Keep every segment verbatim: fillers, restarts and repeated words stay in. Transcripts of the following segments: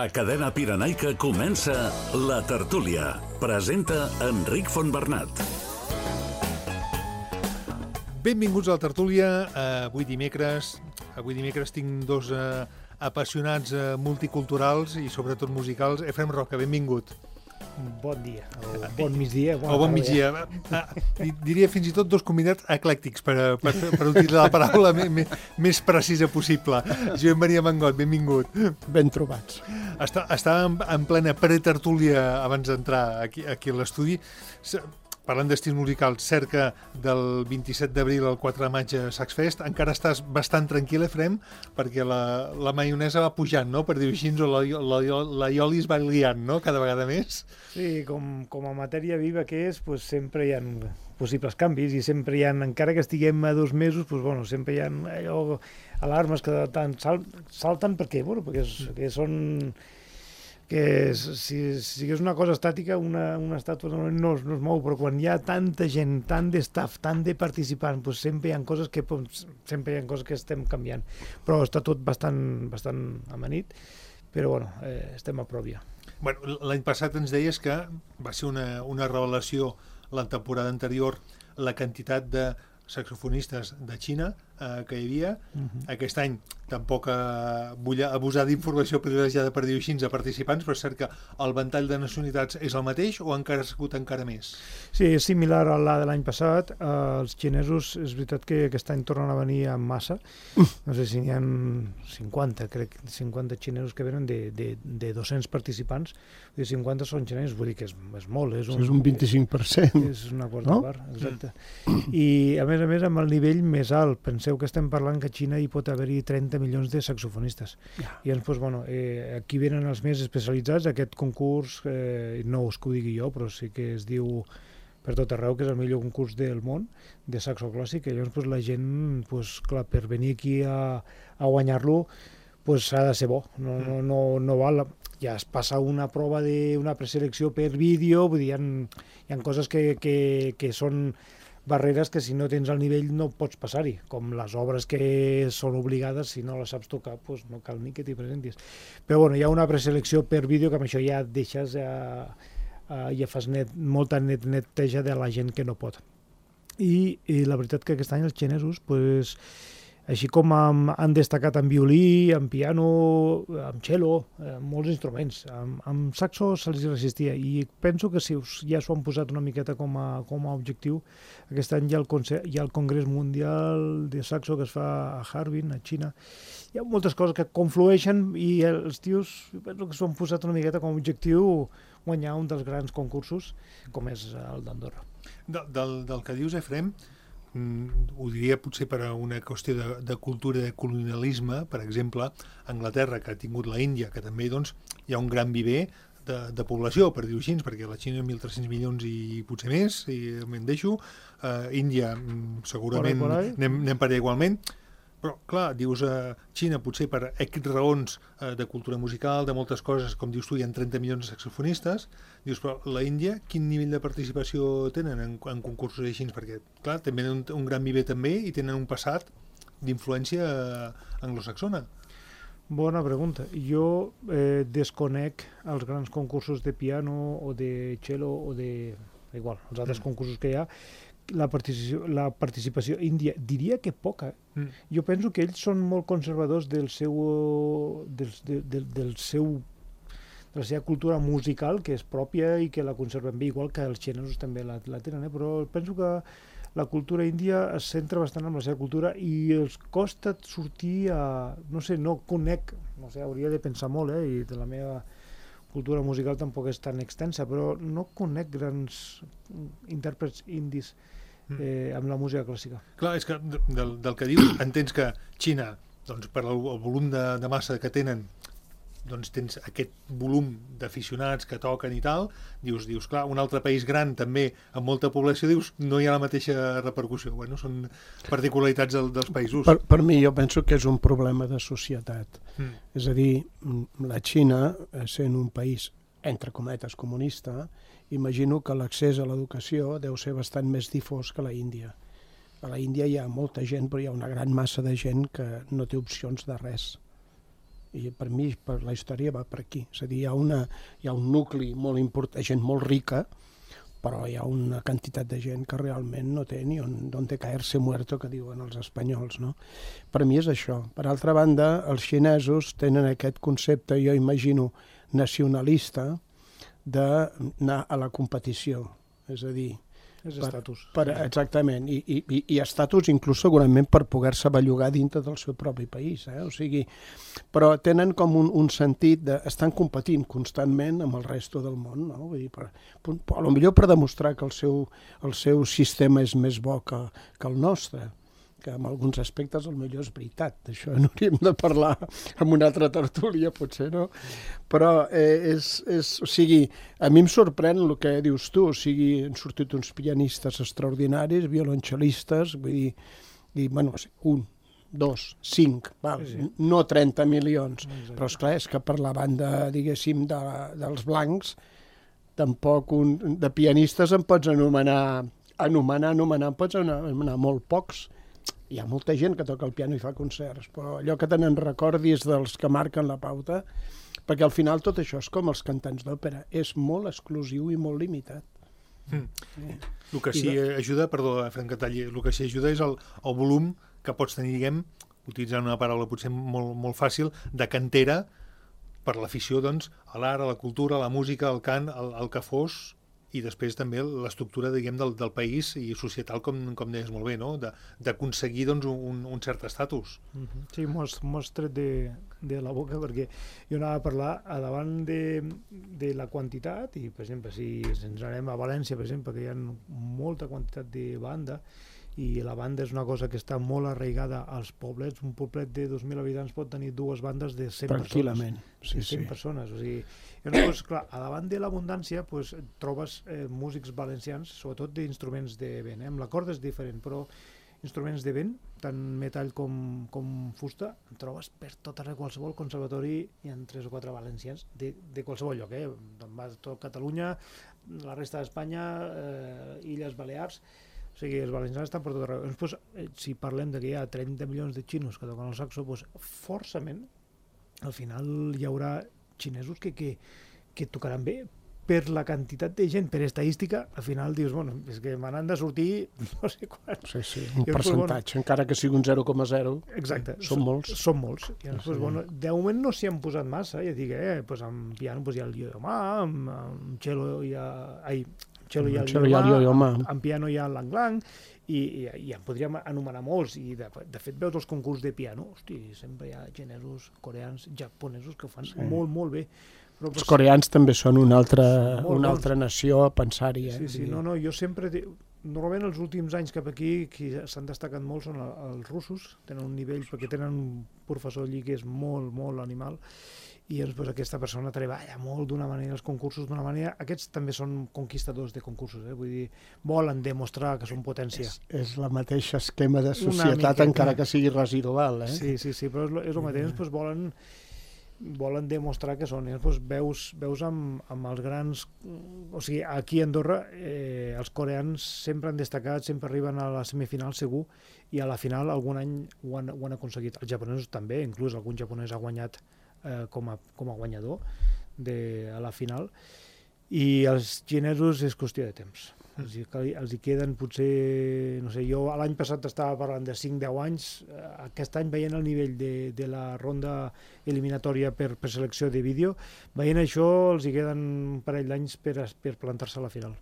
A Cadena Pirenaica comença La Tertúlia. Presenta Enric Fontbernat. Benvinguts a La Tertúlia. Avui dimecres, avui dimecres tinc dos uh, apassionats uh, multiculturals i sobretot musicals. Efrem Roca, benvingut. Bon dia, o bon migdia. O bon migdia. Ah, diria fins i tot dos convidats eclèctics, per, per, per utilitzar la paraula més, més precisa possible. Joan Maria Mangot, benvingut. Ben trobats. Està, està en, en plena pretertúlia abans d'entrar aquí, aquí a l'estudi. Parlant d'estils musicals, cerca del vint-i-set d'abril al quatre de maig a Saxfest. Encara estàs bastant tranquil, Efrem, perquè la, la maionesa va pujant, no?, per dir-ho així, o la, la, la ioli es va liant, no?, cada vegada més. Sí, com, com a matèria viva que és, pues, sempre hi ha possibles canvis i sempre hi ha, encara que estiguem a dos mesos, pues, bueno, sempre hi ha allò, alarmes que tant sal, salten perquè, bueno, perquè, és, perquè són... que si, si és una cosa estàtica, una, una estàtua no, no, es, no es mou, però quan hi ha tanta gent, tant de staff, tant de participants, doncs sempre hi ha coses que, sempre hi ha coses que estem canviant. Però està tot bastant, bastant amanit, però bueno, eh, estem a prop ja. Bueno, l'any passat ens deies que va ser una, una revelació la temporada anterior la quantitat de saxofonistes de Xina eh, que hi havia. Uh-huh. Aquest any tampoc eh, vull abusar d'informació privilegiada per dir-ho així a participants, però és cert que el ventall de nacionalitats és el mateix o encara ha sigut encara més? Sí, és similar a la de l'any passat. Eh, els xinesos, és veritat que aquest any tornen a venir en massa. No sé si n'hi ha cinquanta, crec, cinquanta xinesos que venen de, de, de dos-cents participants. I cinquanta són xinesos, vull dir que és, és molt. És un, és un vint-i-cinc per cent. És una quarta no? part, exacte. Mm. I a més a més amb el nivell més alt. Penseu que estem parlant que a Xina hi pot haver-hi trenta milions de saxofonistes. Yeah. I llavors, doncs, bueno, eh, aquí venen els més especialitzats. Aquest concurs, eh, no és que ho digui jo, però sí que es diu per tot arreu que és el millor concurs del món de saxo clàssic. I llavors doncs, la gent, doncs, clar, per venir aquí a, a guanyar-lo, doncs ha de ser bo. No, no, no, no val. Ja es passa una prova d'una preselecció per vídeo, vull dir, hi ha, hi ha coses que, que, que són barreres que si no tens el nivell no pots passar-hi, com les obres que són obligades, si no les saps tocar, doncs no cal ni que t'hi presentis. Però bueno, hi ha una preselecció per vídeo que amb això ja deixes, eh, eh, ja fas net, molta net, neteja de la gent que no pot. I, i la veritat que aquest any els xinesos, pues, així com han, han destacat en violí, en piano, en cello, eh, molts instruments. Amb, amb saxo se'ls resistia i penso que si us, ja s'ho han posat una miqueta com a, com a objectiu, aquest any hi ha, el Conse- hi ha el Congrés Mundial de Saxo que es fa a Harbin, a Xina. Hi ha moltes coses que conflueixen i els tios penso que s'ho han posat una miqueta com a objectiu guanyar un dels grans concursos com és el d'Andorra. De, del, del que dius, Efrem, Mm, ho diria potser per a una qüestió de, de cultura, de colonialisme, per exemple, Anglaterra, que ha tingut la Índia, que també doncs, hi ha un gran viver de, de població, per dir-ho així, perquè la Xina mil tres-cents milions i potser més, i me'n deixo, uh, Índia segurament por ahí, por ahí. Anem, anem per allà igualment, però clar, dius a uh, Xina potser per X raons uh, de cultura musical, de moltes coses, com dius tu, hi ha trenta milions de saxofonistes, dius, però la Índia, quin nivell de participació tenen en, en concursos així? Perquè, clar, també tenen un, un gran viver també i tenen un passat d'influència uh, anglosaxona. Bona pregunta. Jo eh, desconec els grans concursos de piano o de cello o de... igual, els altres mm. concursos que hi ha. La participació, la participació índia, diria que poca. Mm. Jo penso que ells són molt conservadors del seu, del, del, del, del seu, de la seva cultura musical, que és pròpia i que la conserven bé, igual que els xinesos també la, la tenen, eh? Però penso que la cultura índia es centra bastant en la seva cultura i els costa sortir a... no sé, no conec, no sé, hauria de pensar molt, eh? I de la meva cultura musical tampoc és tan extensa, però no conec grans intèrprets indis eh, amb la música clàssica. Clar, és que del, del que dius, entens que Xina, doncs, per el, el volum de, de massa que tenen, doncs tens aquest volum d'aficionats que toquen i tal, dius, dius, clar, un altre país gran també, amb molta població, dius, no hi ha la mateixa repercussió. Bueno, són particularitats del, dels països. Per, per mi, jo penso que és un problema de societat. Mm. És a dir, la Xina, sent un país, entre cometes, comunista, imagino que l'accés a l'educació deu ser bastant més difós que la Índia. A la Índia hi ha molta gent, però hi ha una gran massa de gent que no té opcions de res. I per mi, per la història va per aquí. És a dir, hi ha, una, hi ha un nucli molt important, gent molt rica, però hi ha una quantitat de gent que realment no té ni on, on té caerse muerto, que diuen els espanyols, no? Per mi és això. Per altra banda, els xinesos tenen aquest concepte, jo imagino, nacionalista, d'anar a la competició. És a dir, és estatus. Per, per, exactament, i, i, i estatus inclús segurament per poder-se bellugar dintre del seu propi país, eh? O sigui, però tenen com un, un sentit de... estan competint constantment amb el resto del món, no? Vull dir, per, per, a lo millor per demostrar que el seu, el seu sistema és més bo que, que el nostre, que en alguns aspectes el millor és veritat, d'això n'hauríem de parlar en una altra tertúlia, potser, no? Però eh, és, és, o sigui, a mi em sorprèn el que dius tu, o sigui, han sortit uns pianistes extraordinaris, violoncel·listes, vull dir, i, bueno, un, dos, cinc, val, sí, sí. No trenta milions, exacte. Però esclar, és que per la banda, diguéssim, de, dels blancs, tampoc un, de pianistes en pots anomenar, anomenar, anomenar, en pots anomenar molt pocs. Hi ha molta gent que toca el piano i fa concerts, però allò que tenen recordi és dels que marquen la pauta, perquè al final tot això és com els cantants d'òpera, és molt exclusiu i molt limitat. Mm. Sí. El que sí ajuda, perdó, Frank Catalli, el que sí ajuda és el, el volum que pots tenir, diguem, utilitzant una paraula potser molt, molt fàcil, de cantera per l'afició, doncs, a l'art, a la cultura, a la música, al cant, al, al que fos, i després també l'estructura, diguem, del, del país i societal, com, com deies molt bé, no? D'aconseguir, doncs, un, un cert estatus. Mm-hmm. Sí, m'ho has tret de, de la boca, perquè jo anava a parlar a davant de, de la quantitat, i, per exemple, si ens anem a València, per exemple, que hi ha molta quantitat de banda, i la banda és una cosa que està molt arraigada als poblets. Un poblet de dos mil habitants pot tenir dues bandes de cent tranquil·lament, persones. Sí, cent sí. persones. O sigui, llavors, clar, a davant de l'abundància pues, trobes eh, músics valencians, sobretot d'instruments de vent. Eh? Amb la corda és diferent, però instruments de vent, tant metall com, com fusta, en trobes per tot arreu. Qualsevol conservatori hi ha tres o quatre valencians de, de qualsevol lloc. Eh? Va tot Catalunya, la resta d'Espanya, eh, Illes Balears. O sigui, els valencians estan per tot arreu. Doncs, si parlem de que hi ha trenta milions de xinos que toquen el saxo, doncs, forçament, al final hi haurà xinesos que, que, que tocaran bé. Per la quantitat de gent, per estadística, al final dius, bueno, és que me n'han de sortir no sé quants. Sí, sí, un I percentatge, bueno, encara que sigui un zero coma zero. Exacte. Són molts. Són molts. I després, sí. Bueno, de moment no s'hi han posat massa, ja dic, eh, pues amb piano pues hi ha el yo-yo-ma, amb, amb cello hi ha... Ai, cello hi ha el yo-yo-ma, amb piano hi ha l'ang-lang, i, i, i en podríem anomenar molts, i de, de fet veus els concursos de piano, hosti, sempre hi ha xinesos, coreans, japonesos que ho fan sí. molt, molt bé. Però, els coreans també són una altra, una altra nació a pensar-hi. Eh? Sí, sí, no, no, jo sempre... Normalment els últims anys cap aquí qui s'han destacat molt són els russos, tenen un nivell, perquè tenen un professor allí que és molt, molt animal, i doncs, aquesta persona treballa molt d'una manera, els concursos d'una manera. Aquests també són conquistadors de concursos, eh? Vull dir, volen demostrar que són potència. És, és la mateixa esquema de societat, encara que sigui residual. Eh? Sí, sí, sí, però és, és el mateix, doncs, volen... volen demostrar que són. Llavors, veus, veus amb, amb els grans... O sigui, aquí a Andorra eh, els coreans sempre han destacat, sempre arriben a la semifinal segur, i a la final algun any ho han, ho han aconseguit. Els japonesos també, inclús algun japonès ha guanyat eh, com, a, com a guanyador de, a la final, i els xinesos és qüestió de temps. Els hi, els hi queden potser, no sé, jo l'any passat estava parlant de cinc deu anys, aquest any veient el nivell de, de la ronda eliminatòria per, per selecció de vídeo, veient això els hi queden un parell d'anys per, per plantar-se a la final.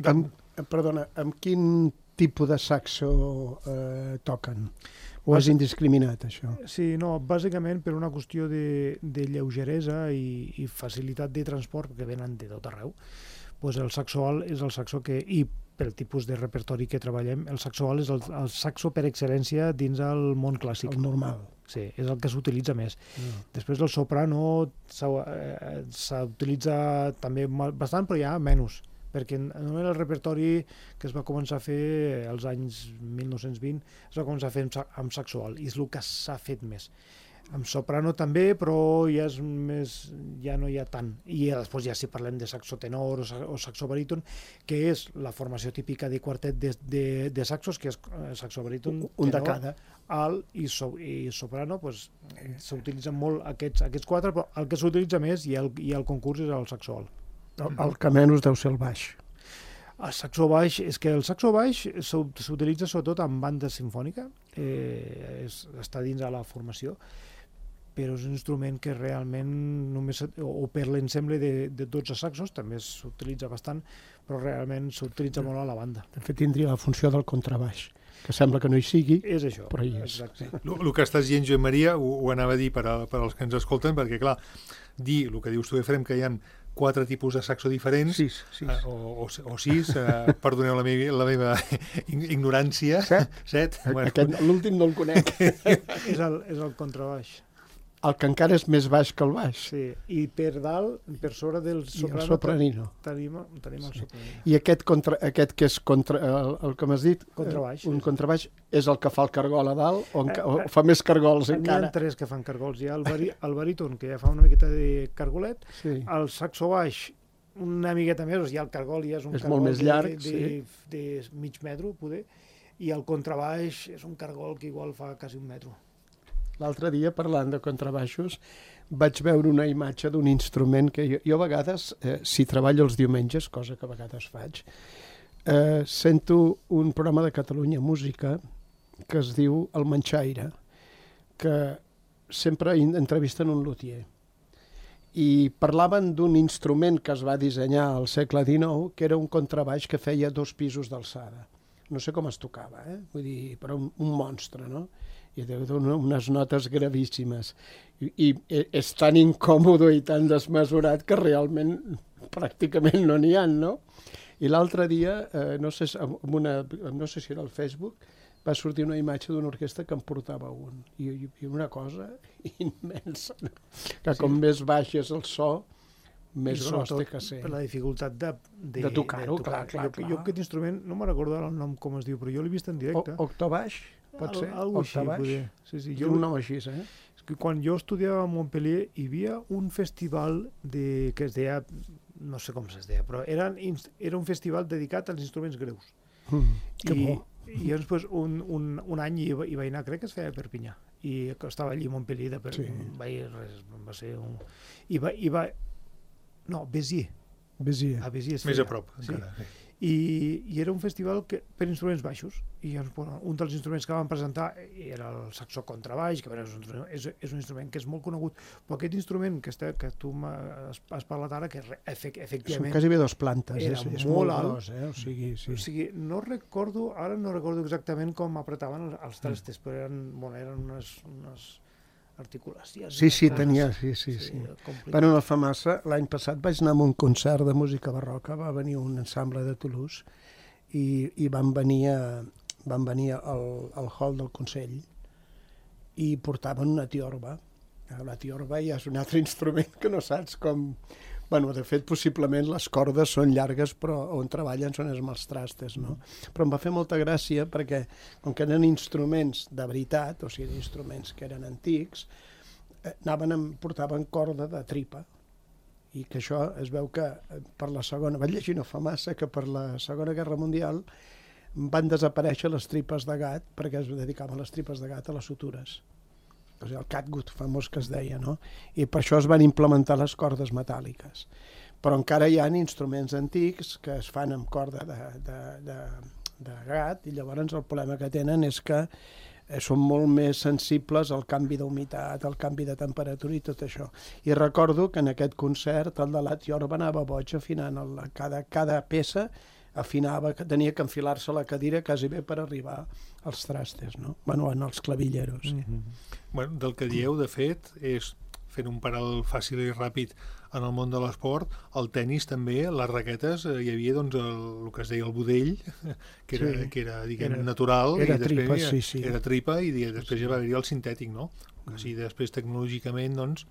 Amb, perdona, amb quin tipus de saxo eh, toquen? O és indiscriminat, això? Sí, no, bàsicament per una qüestió de, de lleugeresa i, i facilitat de transport, que venen de tot arreu. Pues el saxo alt és el saxo que, i pel tipus de repertori que treballem, el saxo alt és el, el saxo per excel·lència dins el món clàssic. El normal. Sí, és el que s'utilitza més. Mm. Després el soprano s'utilitza eh, també bastant, però ja menys, perquè només el repertori que es va començar a fer als anys mil nou-cents vint es va començar a fer amb saxo alt, i és el que s'ha fet més. Amb soprano també, però ja és més, ja no hi ha tant. I després ja si parlem de saxo tenor o saxo baríton, que és la formació típica de quartet de, de, de saxos, que és saxo baríton, un de tenor, cada, alt i, so, i soprano, pues, s'utilitzen molt aquests, aquests quatre, però el que s'utilitza més i el, i el concurs és el saxo alt. El, el que menys deu ser el baix. El saxo baix, és que el saxo baix s'utilitza sobretot en banda sinfònica, eh, és, està dins de la formació, però és un instrument que realment només, o per l'ensemble de, de dotze saxos, també s'utilitza bastant, però realment s'utilitza molt a la banda. De fet, tindria la funció del contrabaix, que sembla que no hi sigui, és això, però hi és. Exacte. El que estàs dient, Joan Maria, ho, ho anava a dir per, a, per als que ens escolten, perquè, clar, dir el que dius tu, Efrem, que hi ha quatre tipus de saxo diferents, sis, sis. Eh, o, o, o sis, eh, perdoneu la meva, la meva ignorància. Set? Set. Bueno. Aquest, l'últim no el conec. és, el, és el contrabaix. El que encara és més baix que el baix. Sí, i per dalt, per sobre del soprano, I el sopranino. Tenim, tenim el sí. sopranino. I aquest, contra, aquest que és contra, el, el que m'has dit, contrabaix, un sí. contrabaix, és el que fa el cargol a dalt o, enca, o fa més cargols encara? N'hi ha tres que fan cargols. Hi ha el, bari, el baríton, que ja fa una miqueta de cargolet, sí. El saxo baix, una miqueta més, ja el cargol ja és un és cargol molt més llarg, de, de, sí. de, de mig metro, poder, i el contrabaix és un cargol que igual fa quasi un metro. L'altre dia, parlant de contrabaixos, vaig veure una imatge d'un instrument que jo, jo a vegades, eh, si treballo els diumenges, cosa que a vegades faig, eh, sento un programa de Catalunya Música que es diu El Manxaire, que sempre entrevisten un luthier. I parlaven d'un instrument que es va dissenyar al segle dinou, que era un contrabaix que feia dos pisos d'alçada. No sé com es tocava, eh? Vull dir, però un, un monstre, no? I deu donar unes notes gravíssimes. I, I és tan incòmode i tan desmesurat que realment pràcticament no n'hi ha, no? I l'altre dia, eh, no, sé, amb una, no sé si era al Facebook, va sortir una imatge d'una orquestra que em portava un. I, i, i una cosa immensa, no? Que com sí. més baix és el so, més gros té que ser. Per la dificultat de, de, de tocar-ho, tocar. clar, clar, jo, clar. Jo aquest instrument, no me'n recordo el nom com es diu, però jo l'he vist en directe. O, octobaix, pot ser? Al, algo així, poder. Sí, sí, jo, un nom així, eh? És que quan jo estudiava a Montpellier hi havia un festival de, que es deia, no sé com es deia, però era, era un festival dedicat als instruments greus. Mm, que I, bo. I llavors pues, un, un, un any hi, hi vaig anar, crec que es feia a Perpinyà, i estava allí a Montpellier, de per, sí. vaig, res, va ser un... I va, i va, no, Béziers. Béziers. A Béziers Més a prop, sí. encara. Sí. I, I era un festival que, per instruments baixos. I bueno, un dels instruments que van presentar era el saxo contrabaix, que és un, és, és un instrument que és molt conegut, però aquest instrument que, està, que tu has, has parlat ara, que efect, efectivament... Són quasi bé dos plantes, era és, és molt, molt alt, gros, eh? O sigui, sí. O sigui, no recordo, ara no recordo exactament com apretaven els, els trastes, però eren, bueno, eren unes... unes articulacions. Sí, sí, tenia, sí, sí, sí. sí. Bueno, no fa massa, l'any passat vaig anar a un concert de música barroca, va venir un ensemble de Toulouse i, i van venir, a, van venir al, al hall del Consell i portaven una tiorba. La tiorba ja és un altre instrument que no saps com... Bueno, de fet, possiblement les cordes són llargues, però on treballen són els mals trastes, no? Però em va fer molta gràcia perquè, com que eren instruments de veritat, o sigui, instruments que eren antics, eh, anaven amb, portaven corda de tripa. I que això es veu que per la segona... Vaig llegir no fa massa que per la Segona Guerra Mundial van desaparèixer les tripes de gat perquè es dedicaven les tripes de gat a les sutures. El catgut famós que es deia, no? I per això es van implementar les cordes metàl·liques. Però encara hi ha instruments antics que es fan amb corda de, de, de, de gat i llavors el problema que tenen és que són molt més sensibles al canvi d'humitat, al canvi de temperatura i tot això. I recordo que en aquest concert el de la tiorba anava boig afinant el, cada, cada peça afinava, que tenia que enfilar-se a la cadira quasi bé per arribar als trastes, no? Bueno, en els clavilleros. Sí. Mm-hmm. Bueno, del que dieu, de fet, és fent un paral fàcil i ràpid en el món de l'esport, el tennis també, les raquetes, eh, hi havia doncs el, el que es deia el budell, que era, sí. que era diguem, era, natural, era i després tripa, sí, sí. era tripa, i després sí. ja va haver-hi el sintètic, no? Que sí, després tecnològicament, doncs,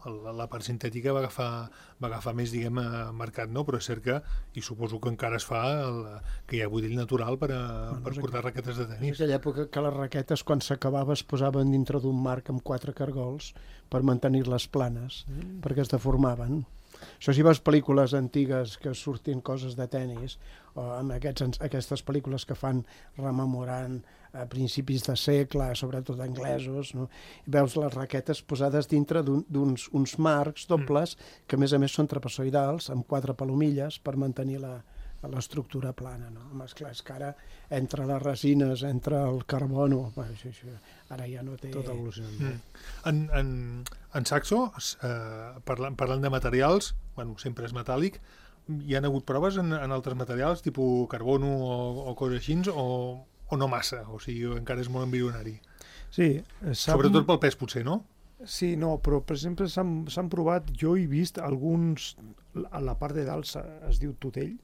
la, la part sintètica va agafar, va agafar més, diguem, mercat, no? Però és cert que, i suposo que encara es fa, el, que hi ha budell natural per, a, bueno, per portar raquetes de tenis. És aquella època que les raquetes, quan s'acabava, es posaven dintre d'un marc amb quatre cargols per mantenir-les planes, mm. perquè es deformaven. Això si veus pel·lícules antigues que surtin coses de tennis, o amb aquests, aquestes pel·lícules que fan rememorant a principis de segle, sobretot anglesos, no? I veus les raquetes posades dintre d'uns un, uns marcs dobles que a més a més són trapezoidals, amb quatre palomilles per mantenir la, l'estructura plana, no? Home, esclar, és que ara entre les resines, entre el carbono, bueno, això, això, ara ja no té... Tot evolucionant. Mm. En, en, en Saxo, eh, parlant, parlant de materials, bueno, sempre és metàl·lic, hi ha hagut proves en, en altres materials, tipus carbono o, o coses així, o, o no massa? O sigui, encara és molt embrionari. Sí. Sobretot pel pes, potser, no? Sí, no, però per exemple s'han provat, jo he vist alguns, a la part de dalt es diu tutell,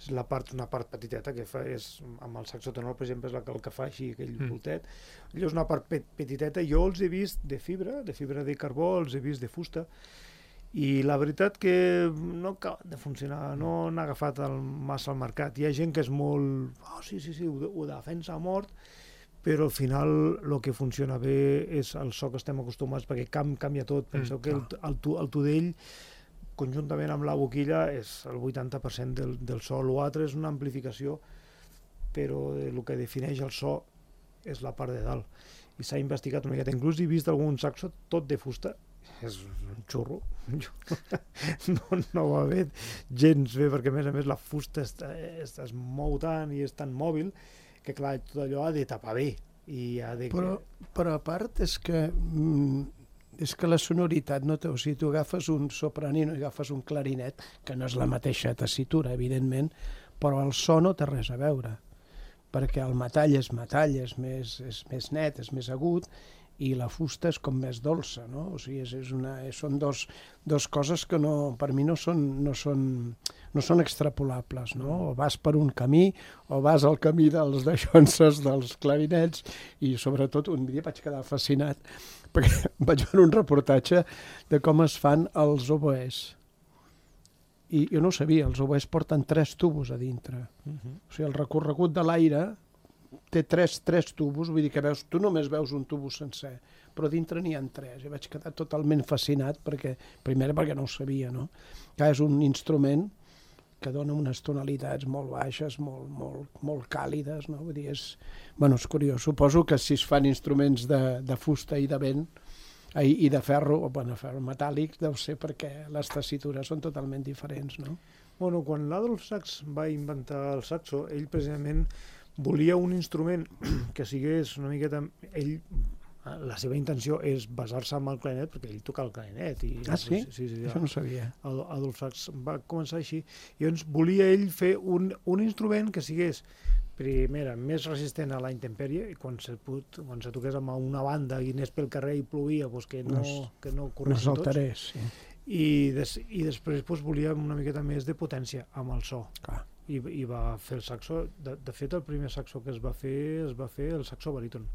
és la part, una part petiteta que fa, és, amb el saxo tenor, per exemple, és la que, el que fa així, aquell mm. voltet. Allò és una part pet, petiteta, jo els he vist de fibra, de fibra de carbó, els he vist de fusta, i la veritat que no acaba de funcionar, no han agafat el, massa al mercat. Hi ha gent que és molt... Oh, sí, sí, sí, ho, ho defensa a mort, però al final el que funciona bé és el so que estem acostumats, perquè cam, canvia tot. Penseu mm, que el, el, el tudell, conjuntament amb la boquilla, és el vuitanta per cent del, del so. L'altre és una amplificació, però el que defineix el so és la part de dalt. I s'ha investigat una miqueta. Inclús he vist algun saxo tot de fusta. És un xurro. no, no va bé gens bé, perquè a més a més la fusta es, es, es mou tant i és tan mòbil que clar, tot allò ha de tapar bé. I ha de... però, però a part és que... Mm, és que la sonoritat no té, o sigui, tu agafes un sopranino i agafes un clarinet, que no és la mateixa tessitura, evidentment, però el so no té res a veure, perquè el metall és metall, és més, és més net, és més agut, i la fusta és com més dolça, no? O sigui, és, és una, són dos, dos coses que no, per mi no són, no són, no són extrapolables, no? O vas per un camí, o vas al camí dels daixonses, dels clarinets, i sobretot un dia vaig quedar fascinat, perquè vaig veure un reportatge de com es fan els oboès. I jo no ho sabia, els oboès porten tres tubos a dintre. Uh-huh. O sigui, el recorregut de l'aire té tres, tres tubos, vull dir que veus, tu només veus un tubo sencer, però dintre n'hi ha tres. I vaig quedar totalment fascinat, perquè, primer perquè no ho sabia, no? Que és un instrument que dona unes tonalitats molt baixes, molt, molt, molt càlides, no? Vull dir, és, bueno, és curiós. Suposo que si es fan instruments de, de fusta i de vent, i, i de ferro, o bueno, ferro metàl·lic, deu ser perquè les tessitures són totalment diferents, no? Bueno, quan l'Adolf Sax va inventar el saxo, ell precisament volia un instrument que sigués una miqueta... Ell, la seva intenció és basar-se en el clarinet, perquè ell toca el clarinet. I, ah, sí? sí, sí Això no sabia. Adolf Sax va començar així. I llavors volia ell fer un, un instrument que sigués, primera, més resistent a la intempèrie, i quan se, put, quan se toqués amb una banda i anés pel carrer i plovia, doncs que no, no, que no corressin no saltarés, tots. Sí. I, des, i després doncs, volia una miqueta més de potència amb el so. Clar. I, i va fer el saxo. De, de fet, el primer saxo que es va fer es va fer el saxo baríton.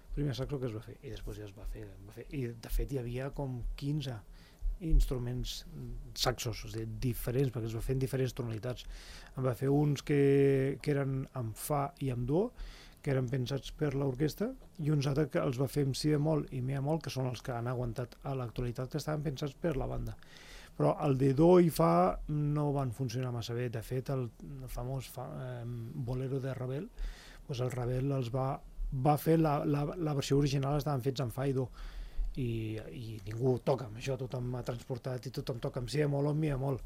El primer saxo que es va fer. I després ja es va fer. Es va fer. I de fet hi havia com quinze instruments saxos, o sigui, diferents, perquè es va fer en diferents tonalitats. En va fer uns que, que eren amb fa i amb do, que eren pensats per l'orquestra, i uns altres que els va fer amb si bemol i mi bemol, que són els que han aguantat a l'actualitat, que estaven pensats per la banda. Però el de do i fa no van funcionar massa bé. De fet, el, el famós fa, eh, bolero de Ravel, doncs el Ravel els va, va fer la, la, la versió original, estaven fets en fa i do, i, i ningú toca amb això, tothom ha transportat i tothom toca amb si bemol o amb mi bemol.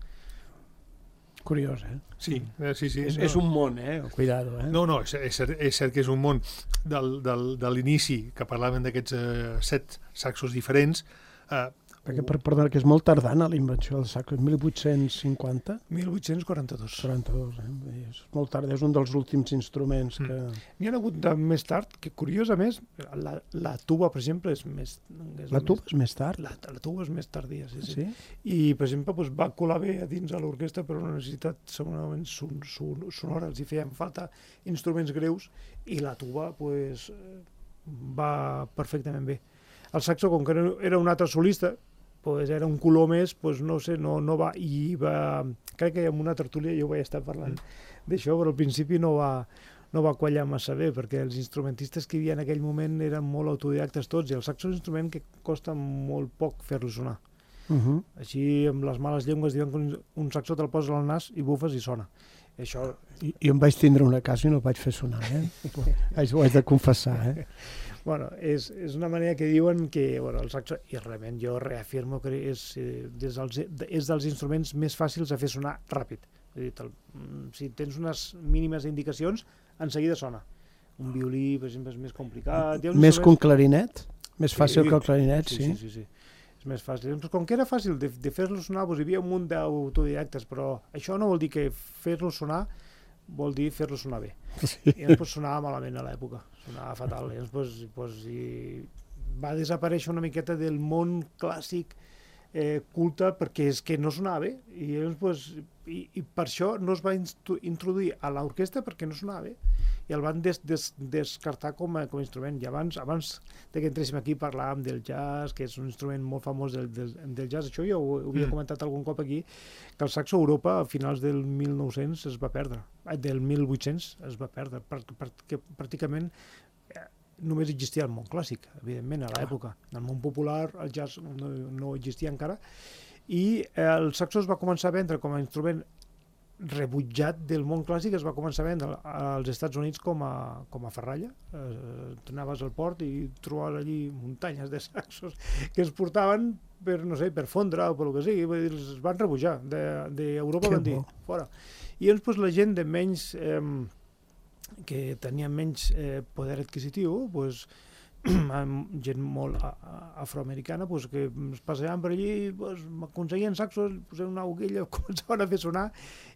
Curiós, eh? Sí, eh, sí, sí. És, no. és un món, eh? Cuidado, eh? No, no, és, és, cert, és cert que és un món del, del, de l'inici, que parlaven d'aquests eh, set saxos diferents. Eh, Perquè, per, perdona, que és molt tardana la invenció del saxo, mil vuit-cents cinquanta? mil vuit-cents quaranta-dos. quaranta-dos, eh? És molt tard, és un dels últims instruments que... Mm. N'hi ha hagut de més tard, que curiosament, la, la tuba, per exemple, és més... És la tuba més, és més tard? La, la tuba és més tardia, sí, sí. sí? I, per exemple, doncs, va colar bé a dins a l'orquestra per una necessitat segurament son, son, sonora, els hi feien falta instruments greus, i la tuba doncs, va perfectament bé. El saxo, com que era un altre solista, pues era un color més, pues no sé, no, no va, i va, crec que en una tertúlia jo vaig estar parlant d'això, però al principi no va, no va quallar massa bé, perquè els instrumentistes que hi havia en aquell moment eren molt autodidactes tots, i el saxo és un instrument que costa molt poc fer-lo sonar. Uh -huh. Així, amb les males llengües, diuen que un, un saxo te'l poses al nas i bufes i sona. Això... I, jo em vaig tindre una casa i no el vaig fer sonar, eh? Ho haig de confessar, eh? Bueno, és, és una manera que diuen que bueno, el saxo, i realment jo reafirmo que és, eh, des dels, és dels instruments més fàcils a fer sonar ràpid. És a dir, el, si tens unes mínimes indicacions, en seguida sona. Un violí, per exemple, és més complicat. Més instruments... que un clarinet? Més fàcil sí, que el clarinet, sí? Sí, sí, sí. sí. És més fàcil. Doncs com que era fàcil de, de fer-lo sonar, doncs hi havia un munt d'autodidactes, però això no vol dir que fer-lo sonar vol dir fer-lo sonar bé. Sí. I llavors pues, sonava malament a l'època, sonava fatal. I llavors pues, pues, i va desaparèixer una miqueta del món clàssic eh, culte perquè és que no sonava bé. I, llavors, pues, i, i per això no es va introduir a l'orquestra perquè no sonava bé. I el van des, des, descartar com a, com a instrument. I abans, abans que entréssim aquí parlàvem del jazz, que és un instrument molt famós del, del, del jazz. Això jo ho, ho havia comentat algun cop aquí, que el saxo a Europa a finals del mil nou-cents es va perdre, del mil vuit-cents es va perdre, perquè pràcticament només existia el món clàssic, evidentment, a l'època. En el món popular el jazz no, no existia encara, i el saxo es va començar a vendre com a instrument rebutjat del món clàssic, es va començar a vendre als Estats Units com a, com a ferralla. Eh, anaves al port i trobaves allí muntanyes de saxos que es portaven per, no sé, per fondre o per el que sigui, vull dir, es van rebutjar d'Europa, de, van dir, fora. I llavors pues, la gent de menys eh, que tenia menys eh, poder adquisitiu, pues, gent molt afroamericana pues, que es passejaven per allí, pues, aconseguien saxos, posaven una agulla, començaven a fer sonar,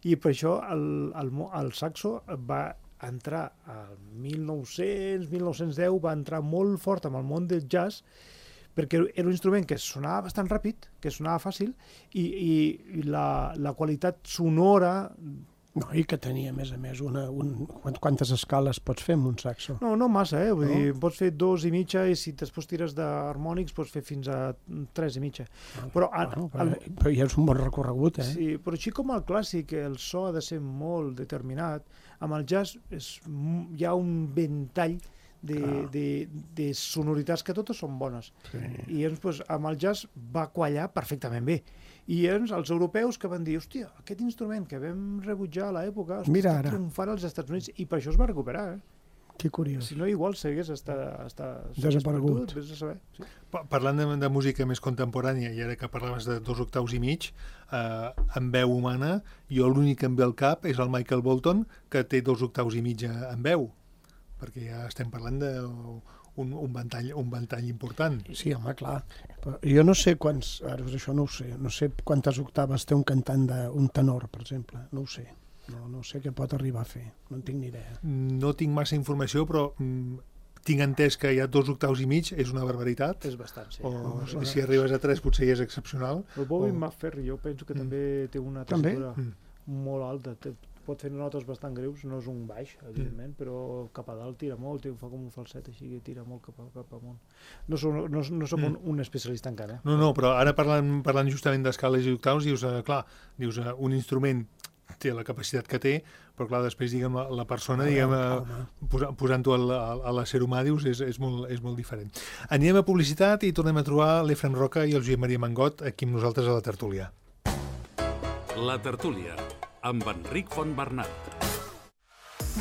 i per això el, el, el saxo va entrar al mil nou-cents, mil nou-cents deu, va entrar molt fort amb el món del jazz, perquè era un instrument que sonava bastant ràpid, que sonava fàcil, i, i la, la qualitat sonora... No, i que tenia, a més a més, una, un, quantes escales pots fer amb un saxo? No, no massa, eh? Vull no? dir, pots fer dos i mitja, i si després tires d'harmònics pots fer fins a tres i mitja. Ah, però, bueno, però, el, però ja és un bon recorregut, eh? Sí, però així com el clàssic, el so ha de ser molt determinat, amb el jazz és, hi ha un ventall de, ah. de, de sonoritats que totes són bones. Sí. I llavors, pues, amb el jazz va quallar perfectament bé. I llavors els europeus que van dir, hòstia, aquest instrument que vam rebutjar a l'època està triomfant als Estats Units, i per això es va recuperar, eh? Que curiós. Si no, igual segueix estar... estar desaparegut. Vés a saber. Sí. Parlant de, de música més contemporània, i ara que parlaves de dos octaus i mig, eh, en veu humana, jo l'únic que em ve al cap és el Michael Bolton, que té dos octaus i mig en veu, perquè ja estem parlant de... Un, un, ventall, un ventall important. Sí, home, clar. Però jo no sé quants, ara això no ho sé, no sé quantes octaves té un cantant d'un tenor, per exemple, no ho sé. No, no sé què pot arribar a fer, no en tinc ni idea. No tinc massa informació, però mm, tinc entès que hi ha dos octaus i mig, és una barbaritat. És bastant, sí. O no, si arribes a tres potser ja és excepcional. El Bobby o... McFerrin jo penso que mm. també té una tessitura mm. molt alta, té, pot fer notes bastant greus, no és un baix, evidentment, mm. però cap a dalt tira molt, fa com un falset així que tira molt cap, a, cap amunt. No som, no, no som mm. un, un especialista encara. Eh? No, no, però ara parlant, parlant justament d'escales i octaus, dius, eh, clar, dius, eh, un instrument té la capacitat que té, però clar, després, diguem, la, la persona, diguem, eh, posa, posant-ho a, a l'ésser humà, dius, és, és, molt, és molt diferent. Anem a publicitat i tornem a trobar l'Efrem Roca i el Josep Maria Mangot aquí amb nosaltres a la tertúlia. La tertúlia, amb Enric Fontbernat.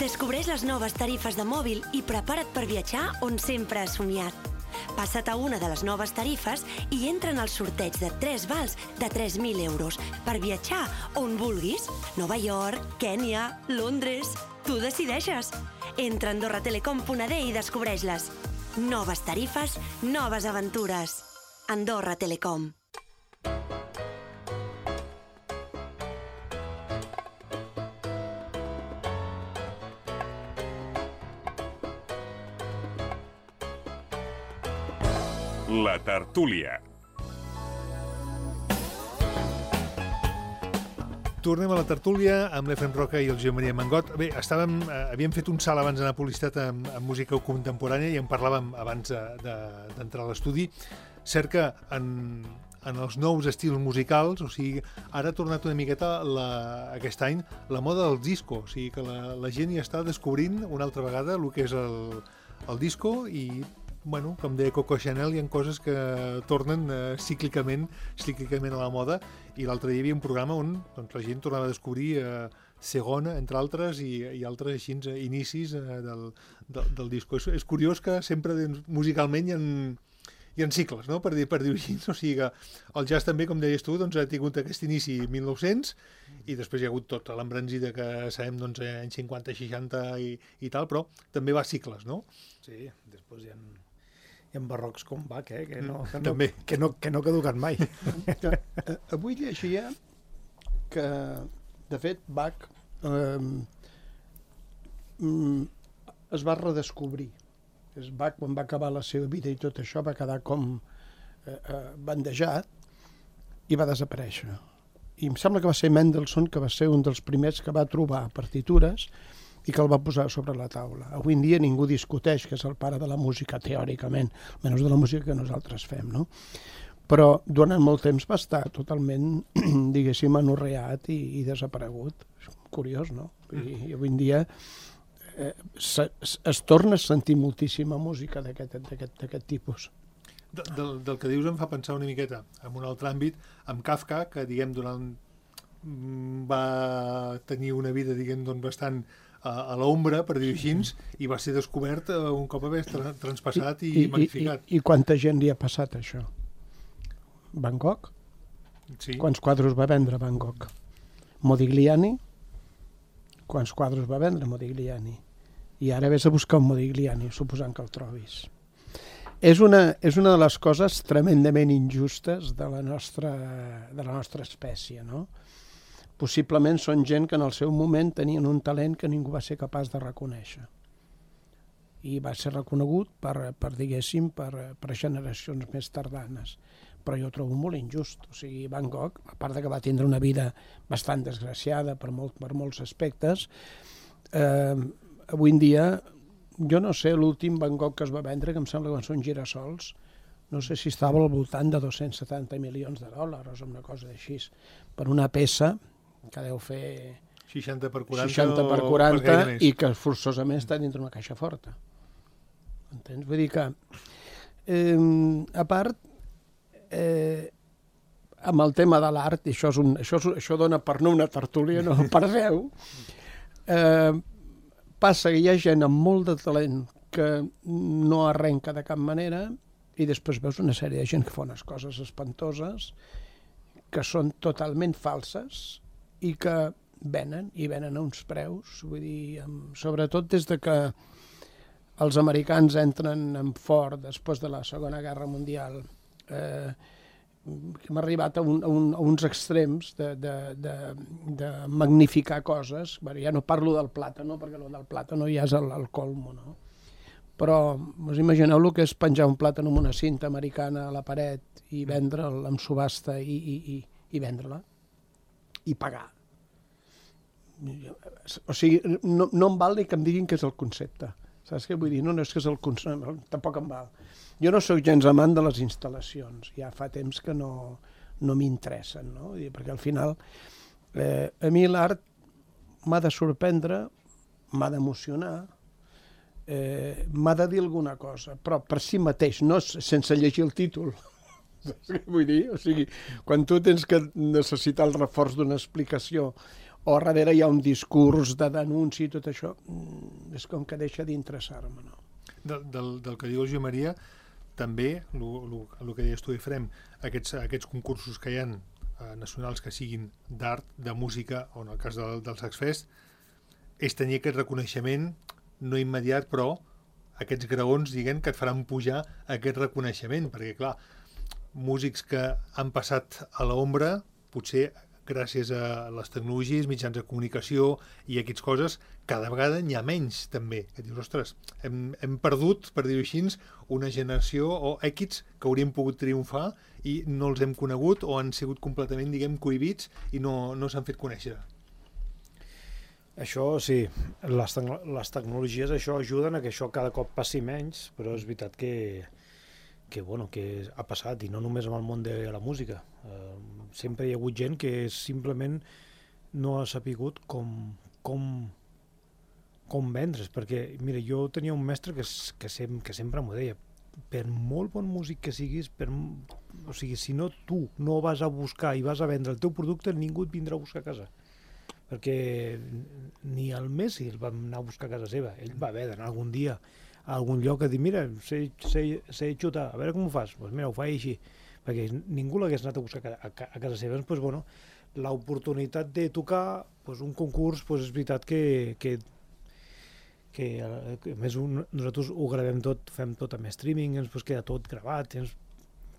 Descobreix les noves tarifes de mòbil i prepara't per viatjar on sempre has somiat. Passa't a una de les noves tarifes i entra en el sorteig de tres vals de tres mil euros per viatjar on vulguis. Nova York, Kènia, Londres... Tu decideixes. Entra a andorra telecom punt a d i descobreix-les. Noves tarifes, noves aventures. Andorra Telecom. La tertúlia. Tornem a la tertúlia amb l'Efrem Roca i el Josep Maria Mangot. Bé, estàvem, eh, havíem fet un salt abans d'anar a publicitat amb, amb música contemporània i en parlàvem abans d'entrar a l'estudi. Cert que en, en els nous estils musicals, o sigui, ara ha tornat una miqueta la, aquest any la moda del disco, o sigui que la, la gent ja està descobrint una altra vegada el que és el, el disco i, bueno, com deia Coco Chanel, hi ha coses que tornen eh, cíclicament, cíclicament a la moda, i l'altre dia hi havia un programa on doncs, la gent tornava a descobrir eh, Segona, entre altres, i, i altres així, inicis eh, del, del, del disco. És, és curiós que sempre doncs, musicalment hi ha, hi ha cicles, no? per dir, per dir-ho així. O sigui que el jazz també, com deies tu, doncs, ha tingut aquest inici mil nou-cents i després hi ha hagut tota l'embranzida que sabem doncs, anys cinquanta, seixanta i, i tal, però també va a cicles, no? Sí, després hi ha, hi ha barrocs com Bach, eh? que, no, que, no, també. que, no, que no caduquen mai. Avui llegia que, de fet, Bach eh, es va redescobrir. És Bach, quan va acabar la seva vida i tot això, va quedar com eh, eh, bandejat i va desaparèixer. I em sembla que va ser Mendelssohn, que va ser un dels primers que va trobar partitures i que el va posar sobre la taula. Avui en dia ningú discuteix que és el pare de la música, teòricament, menys de la música que nosaltres fem, no? Però durant molt temps va estar totalment, diguéssim, anorreat i, i desaparegut. És curiós, no? I, i avui en dia eh, se, es torna a sentir moltíssima música d'aquest tipus. De, del, del que dius em fa pensar una miqueta en un altre àmbit, amb Kafka, que diguem durant va tenir una vida diguem doncs bastant a, a l'ombra, per dir-ho així, i va ser descobert un cop haver tra transpassat i, i, i magnificat. I, i, I quanta gent li ha passat això? Van Gogh? Sí. Quants quadres va vendre Van Gogh? Modigliani? Quants quadres va vendre Modigliani? I ara vés a buscar un Modigliani, suposant que el trobis. És una, és una de les coses tremendament injustes de la nostra, de la nostra espècie, no? Possiblement són gent que en el seu moment tenien un talent que ningú va ser capaç de reconèixer. I va ser reconegut per, per diguéssim, per, per generacions més tardanes. Però jo ho trobo molt injust. O sigui, Van Gogh, a part de que va tindre una vida bastant desgraciada per, molt, per molts aspectes, eh, avui en dia, jo no sé, l'últim Van Gogh que es va vendre, que em sembla que van ser uns girassols, no sé si estava al voltant de dos-cents setanta milions de dòlars o una cosa així, per una peça que deu fer seixanta per quaranta, seixanta per quaranta i que forçosament està dintre una caixa forta. Entens? Vull dir que, eh, a part, eh, amb el tema de l'art, i això, és un, això, és, això dona per no una tertúlia, no per deu, eh, passa que hi ha gent amb molt de talent que no arrenca de cap manera i després veus una sèrie de gent que fa unes coses espantoses que són totalment falses i que venen, i venen a uns preus, vull dir, amb, sobretot des de que els americans entren en fort després de la Segona Guerra Mundial, eh, hem arribat a, un, a, un, a uns extrems de, de, de, de magnificar coses. Bé, ja no parlo del plàtano, perquè el del plàtano ja és el, el colmo, no? Però us imagineu el que és penjar un plàtano amb una cinta americana a la paret i vendre'l amb subhasta i, i, i, i vendre-la i pagar. O sigui, no, no em val ni que em diguin que és el concepte. Saps què vull dir? No, no és que és el concepte, tampoc em val. Jo no sóc gens amant de les instal·lacions, ja fa temps que no, no m'interessen, no? Perquè al final eh, a mi l'art m'ha de sorprendre, m'ha d'emocionar, eh, m'ha de dir alguna cosa, però per si mateix, no sense llegir el títol. Vull dir, o sigui, quan tu tens que necessitar el reforç d'una explicació o darrere hi ha un discurs de denúncia i tot això, és com que deixa d'interessar-me, no? Del, del, del que diu el Joan Maria, també, el que deies tu, Efrem, aquests, aquests concursos que hi ha eh, nacionals que siguin d'art, de música, o en el cas del, del Saxfest, és tenir aquest reconeixement, no immediat, però aquests graons, diguem, que et faran pujar aquest reconeixement, perquè, clar, músics que han passat a l'ombra, potser gràcies a les tecnologies, mitjans de comunicació i aquestes coses, cada vegada n'hi ha menys, també. Que dius, ostres, hem, hem perdut, per dir-ho així, una generació o èquits que haurien pogut triomfar i no els hem conegut o han sigut completament, diguem, cohibits i no, no s'han fet conèixer. Això sí, les, te les tecnologies això ajuden a que això cada cop passi menys, però és veritat que, que, bueno, que ha passat, i no només amb el món de la música. Eh, sempre hi ha hagut gent que simplement no ha sapigut com, com, com vendre's, perquè, mira, jo tenia un mestre que, que, sem, que sempre m'ho deia, per molt bon músic que siguis, per, o sigui, si no tu no vas a buscar i vas a vendre el teu producte, ningú et vindrà a buscar a casa. Perquè ni el Messi el va anar a buscar a casa seva, ell va haver d'anar algun dia a algun lloc a dir, mira, sé, sé, sé xutar, a veure com ho fas, doncs pues mira, ho faig així, perquè ningú l'hagués anat a buscar a, a, a casa seva. Doncs, pues, bueno, l'oportunitat de tocar pues, un concurs, pues, és veritat que, que, que, que a més un, nosaltres ho gravem tot, fem tot amb streaming, ens pues, queda tot gravat, ens,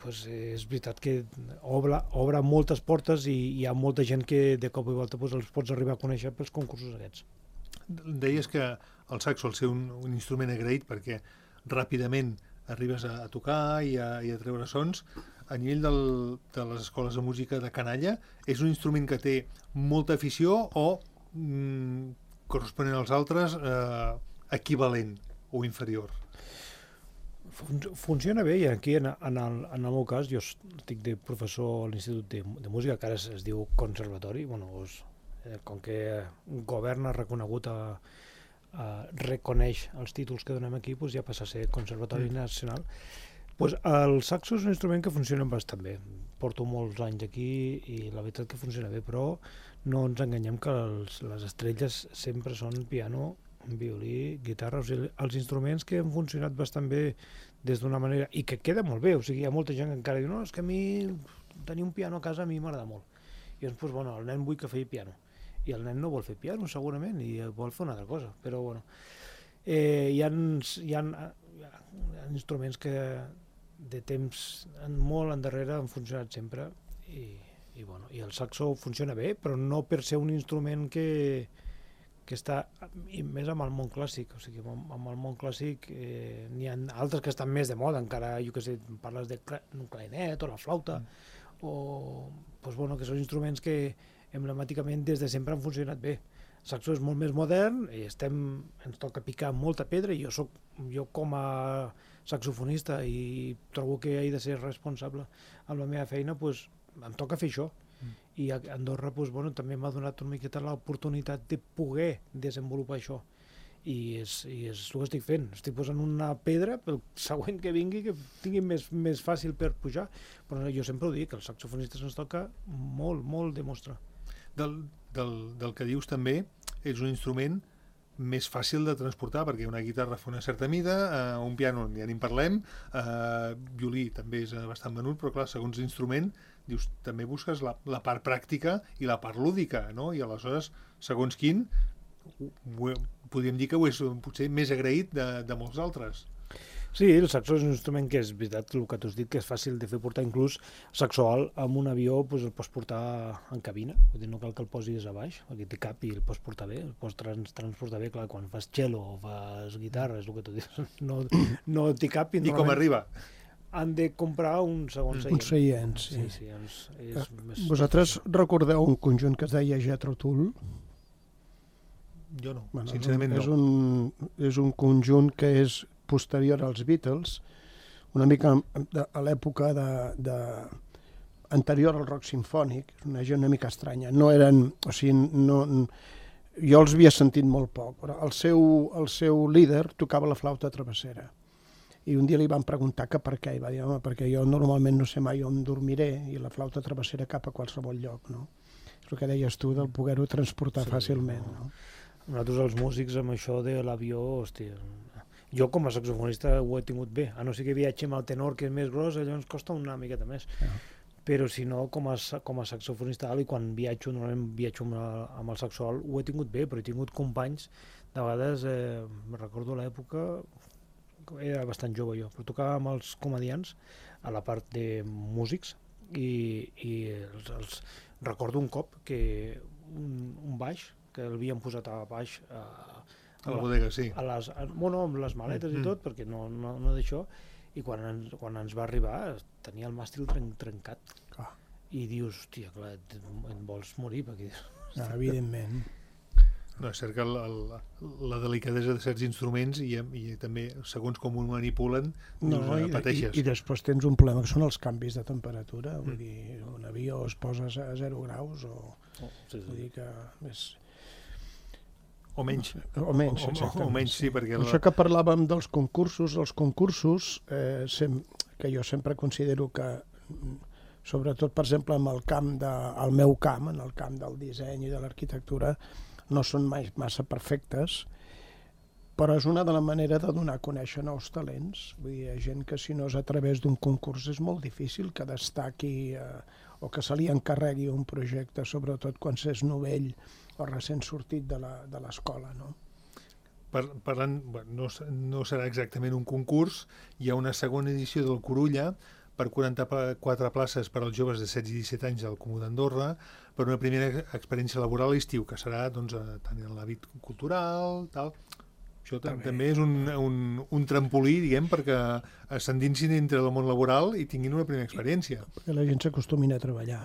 pues, és veritat que obre, obre moltes portes i hi ha molta gent que de cop i volta pues, els pots arribar a conèixer pels concursos aquests. Deies que el saxo al ser un, un instrument agraït perquè ràpidament arribes a, a tocar i a, i a treure sons. A nivell del, de les escoles de música de canalla, és un instrument que té molta afició o mm, corresponent als altres eh, equivalent o inferior? Fun funciona bé, i aquí en, en, el, en el meu cas jo estic de professor a l'Institut de, de Música, que ara es, es diu Conservatori, bueno, és, eh, com que un govern ha reconegut a, a reconeix els títols que donem aquí, doncs ja passa a ser Conservatori mm. Nacional. Pues el saxo és un instrument que funciona bastant bé. Porto molts anys aquí i la veritat que funciona bé, però no ens enganyem que els, les estrelles sempre són piano, violí, guitarra, o sigui, els instruments que han funcionat bastant bé des d'una manera, i que queda molt bé, o sigui, hi ha molta gent que encara diu, no, és que a mi tenir un piano a casa a mi m'agrada molt. I doncs, pues, bueno, el nen vull que faci piano, i el nen no vol fer piano segurament, i vol fer una altra cosa, però bueno, eh, hi ha, hi ha, hi ha instruments que de temps molt endarrere han funcionat sempre, i, i, bueno, i el saxo funciona bé, però no per ser un instrument que, que està, i més amb el món clàssic, o sigui, amb, amb el món clàssic eh, n'hi ha altres que estan més de moda, encara, jo què sé, parles de un clarinet o la flauta, mm. o, doncs, bueno, que són instruments que emblemàticament des de sempre han funcionat bé. El saxo és molt més modern, i estem, ens toca picar molta pedra, i jo, soc, jo com a saxofonista i trobo que he de ser responsable amb la meva feina, doncs em toca fer això. Mm. I a Andorra doncs, bueno, també m'ha donat una miqueta l'oportunitat de poder desenvolupar això. I és, i és el que estic fent. Estic posant una pedra pel següent que vingui, que tingui més, més fàcil per pujar. Però jo sempre ho dic, que els saxofonistes ens toca molt, molt demostrar. Del, del, del que dius també, és un instrument més fàcil de transportar, perquè una guitarra fa una certa mida, eh, un piano ja ni en parlem, eh, violí també és bastant menut, però clar, segons l'instrument, dius, també busques la, la part pràctica i la part lúdica, no? I aleshores, segons quin, ho, ho, podríem dir que ho és potser més agraït de, de molts altres. Sí, el saxo és un instrument que és veritat, el que tu has dit, que és fàcil de fer portar, inclús saxo alt amb un avió pues, el pots portar en cabina, vull dir, no cal que el posis a baix, aquí té cap i el pots portar bé, el pots trans transportar bé, clar, quan fas cello o fas guitarra, és el que tu dius, no, no té cap. I, I com arriba? Han de comprar un segon seient. Un seient, sí. sí, sí és, és més... Vosaltres recordeu un conjunt que es deia Jethro Tull? Jo no, bueno, sincerament és no. Un, és un conjunt que és posterior als Beatles, una mica de, a l'època de, de, anterior al rock simfònic, és una gent una mica estranya. No eren, o sigui, no, jo els havia sentit molt poc, però el seu, el seu líder tocava la flauta travessera. I un dia li van preguntar que per què, i va dir, home, perquè jo normalment no sé mai on dormiré, i la flauta travessera cap a qualsevol lloc, no? És el que deies tu, del poder-ho transportar sí, fàcilment, no? Nosaltres els músics amb això de l'avió, hòstia, jo com a saxofonista ho he tingut bé, a no ser que viatge amb el tenor que és més gros, allò ens costa una miqueta més. Uh -huh. Però si no, com a, com a saxofonista alt, i quan viatjo, normalment viatjo amb, la, amb el saxo alt, ho he tingut bé, però he tingut companys, de vegades, eh, recordo l'època, era bastant jove jo, però tocava amb els comedians a la part de músics, i, i els, els, recordo un cop que un, un baix, que l'havien posat a baix a, a la bodega, sí. A les, a, bueno, amb les maletes mm -hmm. i tot, perquè no, no, no d'això, i quan ens, quan ens va arribar tenia el màstil tren, trencat. Ah. I dius, hòstia, clar, et, et vols morir, perquè... Ah, evidentment. No, és cert que el, el, la delicadesa de certs instruments i, i també, segons com ho manipulen, no, dius, i, pateixes. I, I després tens un problema que són els canvis de temperatura. Mm. Vull dir, un avió es posa a zero graus o... Oh, sí, sí. Vull dir que és... O menys. O menys, o, o, o menys, sí, perquè... Això que parlàvem dels concursos, els concursos, eh, sem que jo sempre considero que, sobretot, per exemple, en el camp de, el meu camp, en el camp del disseny i de l'arquitectura, no són mai massa perfectes, però és una de les maneres de donar a conèixer nous talents. Vull dir, hi ha gent que si no és a través d'un concurs és molt difícil que destaqui eh, o que se li encarregui un projecte, sobretot quan s'és novell o recent sortit de l'escola, no? Per, parlant, bueno, no, no serà exactament un concurs, hi ha una segona edició del Corulla per quaranta-quatre places per als joves de setze i disset anys al Comú d'Andorra, per una primera experiència laboral a l'estiu, que serà doncs, tant en l'àmbit cultural, tal. Això també és un, un, un trampolí, diguem, perquè s'endinsin dintre del món laboral i tinguin una primera experiència. Perquè la gent s'acostumin a treballar.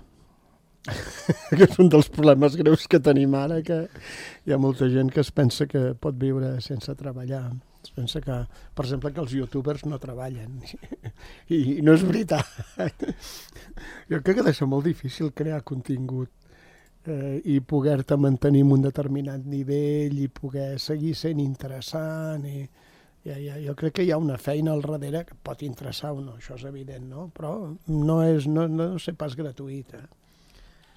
Que és un dels problemes greus que tenim ara, que hi ha molta gent que es pensa que pot viure sense treballar. Es pensa que, per exemple, que els youtubers no treballen. I, i no és veritat. Jo crec que deixa molt difícil crear contingut eh, i poder-te mantenir en un determinat nivell i poder seguir sent interessant. I, ja, ja, jo crec que hi ha una feina al darrere que pot interessar o no, això és evident, no? Però no és, no, no sé pas gratuït, eh?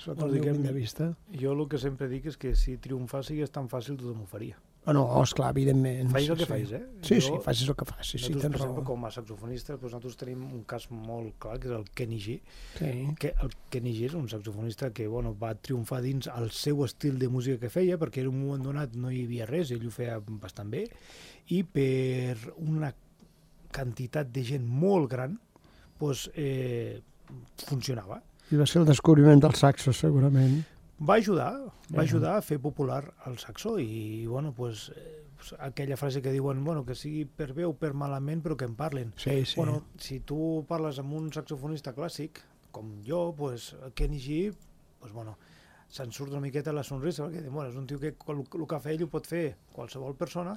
Sota el meu punt de vista. Jo el que sempre dic és que si triomfar sigués tan fàcil tothom ho faria. Oh, no, esclar, evidentment. Facis el que sí. facis, eh? Sí, jo, sí, facis el que facis, sí, tens raó. Exemple, com a saxofonista, doncs nosaltres tenim un cas molt clar, que és el Kenny G. Sí. Que el Kenny G és un saxofonista que bueno, va triomfar dins el seu estil de música que feia, perquè en un moment donat no hi havia res, ell ho feia bastant bé, i per una quantitat de gent molt gran, doncs, eh, funcionava. I va ser el descobriment del saxo, segurament. Va ajudar, va ajudar a fer popular el saxo i, bueno, pues, eh, aquella frase que diuen, bueno, que sigui per bé o per malament, però que en parlen. Sí, sí. Bueno, si tu parles amb un saxofonista clàssic, com jo, pues, Kenny G, pues, bueno, se'n surt una miqueta la sonrisa, perquè bueno, és un tio que el, el que fa ell ho pot fer qualsevol persona,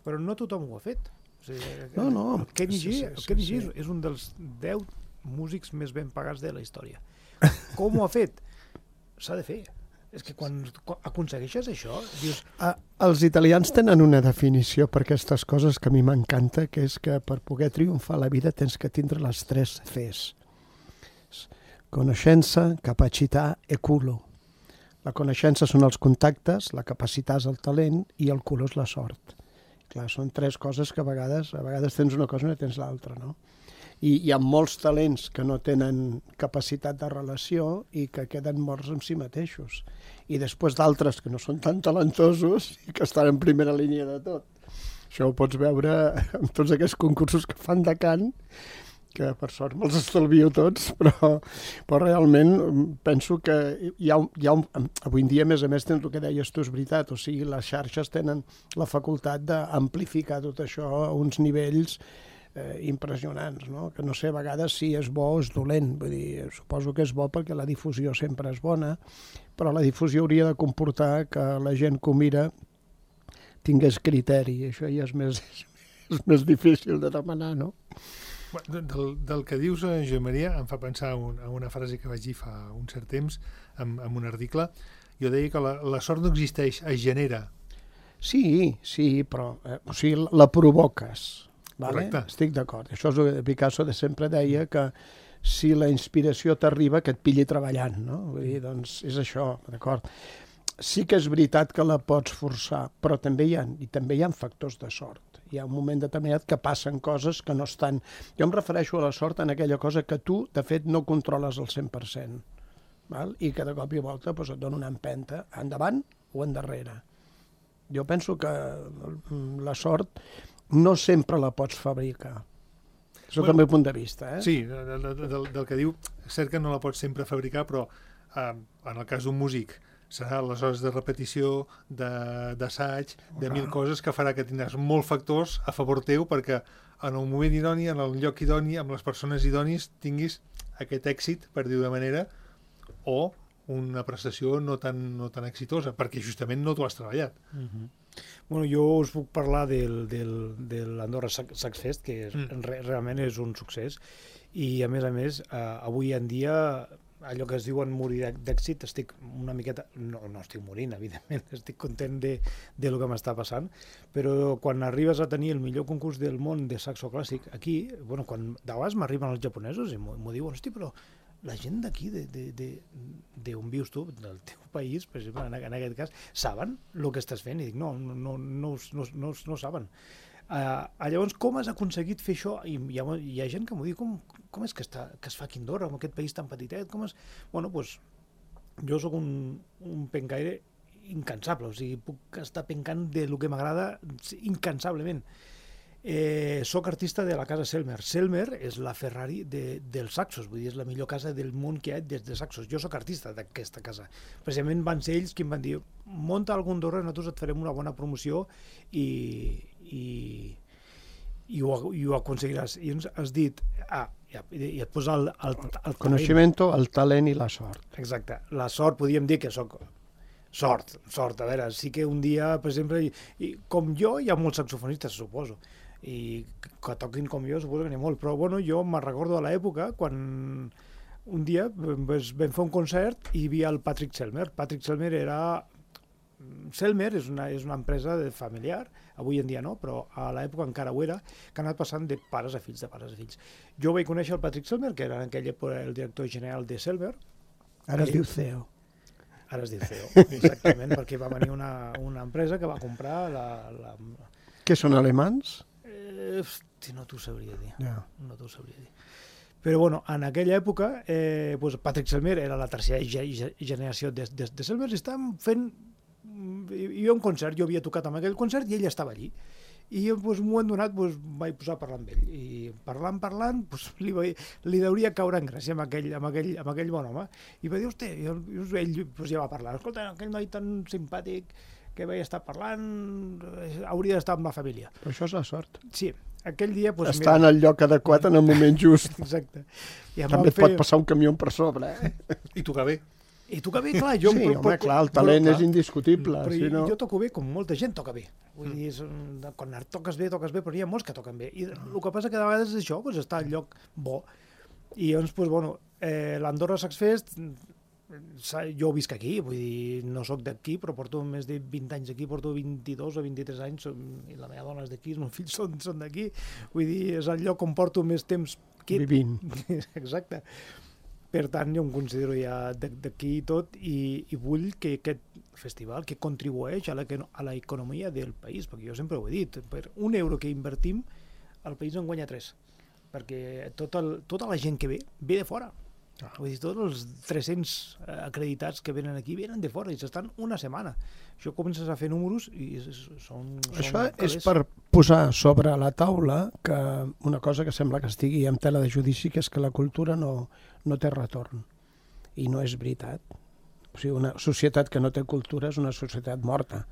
però no tothom ho ha fet. O sigui, no, no. El Kenny G, sí, sí, el Kenny sí, G sí. és un dels deu músics més ben pagats de la història. Com ho ha fet? S'ha de fer. És que quan, quan aconsegueixes això, dius... Ah, els italians tenen una definició per aquestes coses que a mi m'encanta, que és que per poder triomfar a la vida tens que tindre les tres Cs. Coneixença, capacitat e culo. La coneixença són els contactes, la capacitat és el talent i el culo és la sort. Clar, són tres coses que a vegades, a vegades tens una cosa i no tens l'altra, no? I hi ha molts talents que no tenen capacitat de relació i que queden morts amb si mateixos. I després d'altres que no són tan talentosos i que estan en primera línia de tot. Això ho pots veure en tots aquests concursos que fan de cant, que per sort me'ls estalvio tots, però, però realment penso que hi ha, hi ha un, avui en dia, a més a més, tens el que deies tu, és veritat, o sigui, les xarxes tenen la facultat d'amplificar tot això a uns nivells Eh, impressionants, no? Que no sé a vegades si és bo o és dolent. Vull dir, suposo que és bo perquè la difusió sempre és bona, però la difusió hauria de comportar que la gent que ho mira tingués criteri. Això ja és més, és més difícil de demanar, no? Del, del que dius, Josep Maria, em fa pensar un, en una frase que vaig dir fa un cert temps en, en un article. Jo deia que la, la sort no existeix, es genera. Sí, sí, però eh, o sigui, la provoques. Vale? Correcte. Estic d'acord. Això és el que Picasso de sempre deia, que si la inspiració t'arriba, que et pilli treballant, no? Vull dir, doncs és això, d'acord. Sí que és veritat que la pots forçar, però també hi ha, i també hi ha factors de sort. Hi ha un moment determinat que passen coses que no estan... Jo em refereixo a la sort en aquella cosa que tu, de fet, no controles al cent per cent. Val? I que de cop i volta doncs, et dona una empenta endavant o endarrere. Jo penso que la sort no sempre la pots fabricar. És el bueno, meu punt de vista. Eh? Sí, del, del, del que diu, és cert que no la pots sempre fabricar, però eh, en el cas d'un músic serà les hores de repetició, d'assaig, de, de mil coses que farà que tindràs molts factors a favor teu perquè en el moment idoni, en el lloc idoni, amb les persones idonis, tinguis aquest èxit, per dir-ho de manera, o una prestació no tan, no tan exitosa, perquè justament no t'ho has treballat. Uh-huh. Bueno, jo us puc parlar del, del, de l'Andorra Sax Fest, que és, mm. re, realment és un succés, i a més a més, eh, avui en dia, allò que es diuen morir d'èxit, estic una miqueta... No, no estic morint, evidentment, estic content de, de lo que m'està passant, però quan arribes a tenir el millor concurs del món de saxo clàssic aquí, bueno, quan de vegades m'arriben els japonesos i m'ho diuen, hosti, però la gent d'aquí, d'on vius tu, del teu país, per exemple, en, en aquest cas, saben el que estàs fent? I dic, no, no, no, no, no, no, no saben. Uh, llavors, com has aconseguit fer això? I hi ha, hi ha gent que m'ho diu, com, com és que, està, que es fa aquí a Andorra, en aquest país tan petitet? Com és? Bueno, doncs, jo sóc un, un pencaire incansable, o sigui, puc estar pencant de lo que m'agrada incansablement. Eh, soc artista de la casa Selmer. Selmer és la Ferrari de, dels saxos, vull dir, és la millor casa del món que hi ha des de saxos. Jo sóc artista d'aquesta casa. Precisament van ser ells qui em van dir, munta algun Andorra, nosaltres et farem una bona promoció i, i, i, ho, i ho aconseguiràs. I ens has dit, ah, ja, i et posa el, el, el coneixement, el talent i la sort. Exacte. La sort, podríem dir que sóc sort, sort, a veure, sí que un dia, per exemple, i, i, com jo, hi ha molts saxofonistes, suposo, i que toquin com jo, suposo que n'hi ha molt, però bueno, jo me'n recordo de l'època quan un dia pues, vam fer un concert i hi havia el Patrick Selmer. Patrick Selmer era... Selmer és una, és una empresa de familiar, avui en dia no, però a l'època encara ho era, que ha anat passant de pares a fills, de pares a fills. Jo vaig conèixer el Patrick Selmer, que era en aquella època el director general de Selmer. Ara es diu C E O. Ara es diu C E O, exactament, perquè va venir una, una empresa que va comprar la... la... Què són, alemans? Eh, no t'ho sabria dir. Yeah. No t'ho sabria dir. Però bueno, en aquella època, eh, pues Patrick Selmer era la tercera generació de, de, de Selmer i estàvem fent... Hi havia un concert, jo havia tocat amb aquell concert i ell estava allí. I jo, pues, un moment donat, pues, vaig posar a parlar amb ell. I parlant, parlant, pues, li, va, li deuria caure en gràcia amb aquell, amb aquell, amb aquell bon home. I va dir, hosti, i ell pues, ja va parlar. Escolta, aquell noi tan simpàtic que vaig estar parlant, hauria d'estar amb la família. Però això és la sort. Sí, aquell dia... Pues, Estar mira... en el lloc adequat en el moment just. Exacte. I també et fer... pot passar un camió per sobre, eh? I tocar bé. I tocar bé, clar. Jo sí, però, home, però, clar, el talent però, és indiscutible. Però si no... jo toco bé com molta gent toca bé. Vull dir, és, quan toques bé, toques bé, però hi ha molts que toquen bé. I el que passa que de vegades és això, pues, està al lloc bo. I llavors, pues, bueno, eh, l'Andorra Sax Fest, jo visc aquí, vull dir, no sóc d'aquí, però porto més de vint anys aquí, porto vint-i-dos o vint-i-tres anys, i la meva dona és d'aquí, els meus fills són, són d'aquí, vull dir, és el lloc on porto més temps quiet. Vivint. Exacte. Per tant, jo em considero ja d'aquí i tot, i, i vull que aquest festival que contribueix a l'economia del país, perquè jo sempre ho he dit, per un euro que invertim, el país en guanya tres, perquè tot el, tota la gent que ve, ve de fora. Vull dir, tots els tres-cents acreditats que venen aquí venen de fora i s'estan una setmana. Això comences a fer números i són... són Això calés. és per posar sobre la taula que una cosa que sembla que estigui en tela de judici, que és que la cultura no, no té retorn. I no és veritat. O sigui, una societat que no té cultura és una societat morta.